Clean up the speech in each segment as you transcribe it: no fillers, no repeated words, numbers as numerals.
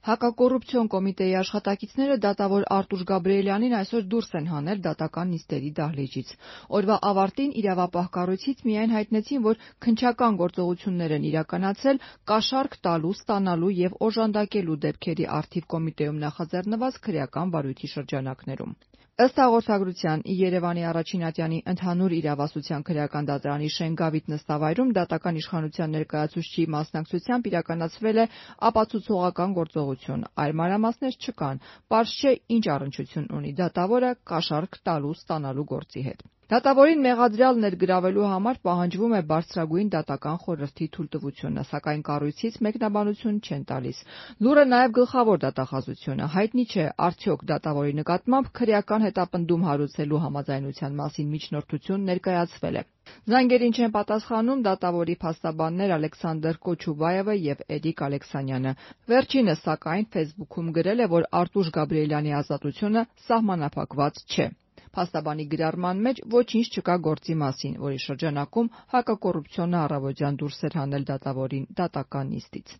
Հակակոռուպցիոն կոմիտեի աշխատակիցները դատավոր Արտուշ Գաբրիելյանին այսօր դուրս են հանել դատական նիստերի դահլիճից։ Օրվա ավարտին իրավապահ կառույցից միայն հայտնեցին, որ քննչական գործողություններ են իրականացել կաշառք տալու, ստանալու եւ օժանդակելու դեպքերի առթիվ կոմիտեում նախաձեռնված քրեական վարույթի շրջանակներում։ Ըստ հաղորդագրության, Երևանի առաջին ատյանի ընդհանուր իրավասության քրեական դատարանի Շենգավիթ նստավայրում դատական իշխանության ներկայացուցչի մասնակցությամբ իրականացվել է ապացուցողական գործողություն։ Այլ մանրամասներ չկան, պարզ չէ ինչ առնչություն ունի դատավորը կաշառք տալու ստանալու գործի հետ։ Դատավորին մեղադրյալ ներգրավելու համար պահանջվում է բարձրագույն դատական խորհրդի թույլտվությունը, սակայն կառույցից մեկնաբանություն չեն տալիս։ Լուրը նաև գլխավոր դատախազությունը։ Հայտնի չէ, արդյոք դատավորի նկատմամբ քրեական հետապնդում հարուցելու համաձայնության մասին միջնորդություն ներկայացվել է։ Զանգերին չեն պատասխանում դատավորի փաստաբաններ Ալեքսանդր Կոչուբաևը եւ Էրիկ Ալեքսանյանը։ Վերջինս, սակայն, Facebook-ում գրել է, որ Արտուշ Գաբրիելյանի ազատությունը սահմանափակված չէ։ Փաստաբանի գրառման մեջ ոչինչ չկա գործի մասին, որի շրջանակում հակակոռուպցիոնը առավոտյան դուրս էր հանել դատավորին դատական նիստից։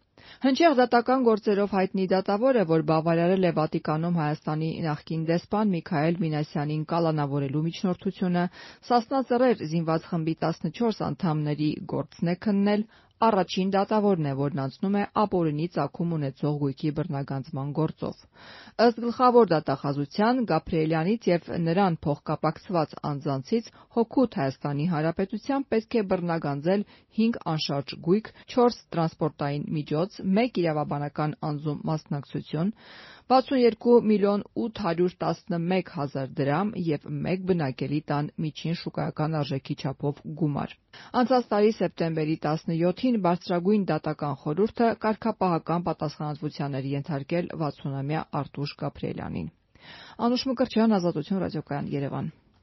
Հնչեղ դատական գործերով հայտնի դատավորը, որ բավարարել է Վատիկանում Հայաստանի նախկին դեսպան Միքայել Մինասյանին կալանավորելու միջնորդությունը, Սասնա Ծռեր զինված խմբի 14 անդամների գործն է քննել, առաջին դատավորն է, որն անցնում է ապօրինի ծագում ունեցող գույքի բռնագանձման գործով։ Ըստ գլխավոր դատախազության, Գաբրիելյանից եւ նրան փոխկապակցված անձանցից հօգուտ Հայաստանի Հանրապետության պետք է բռնագանձել 5 անշարժ գույք, 4 տրանսպորտային միջոց, 1 իրավաբանական անձում մասնակցություն, 62 միլիոն 811 հազար դրամ եւ 1 բնակելի տան միջին շուկայական արժեքի չափով գումար։ Անցած տարի սեպտեմբերի 17-ին բարձրագույն դատական խորհուրդը կարգապահական պատասխանատվության էր ենթարկել 60-ամյա Արտուշ Գաբրիելյանին։ Անուշ Մկրտչյան, Ազատություն ռադիոկայան, Երևան։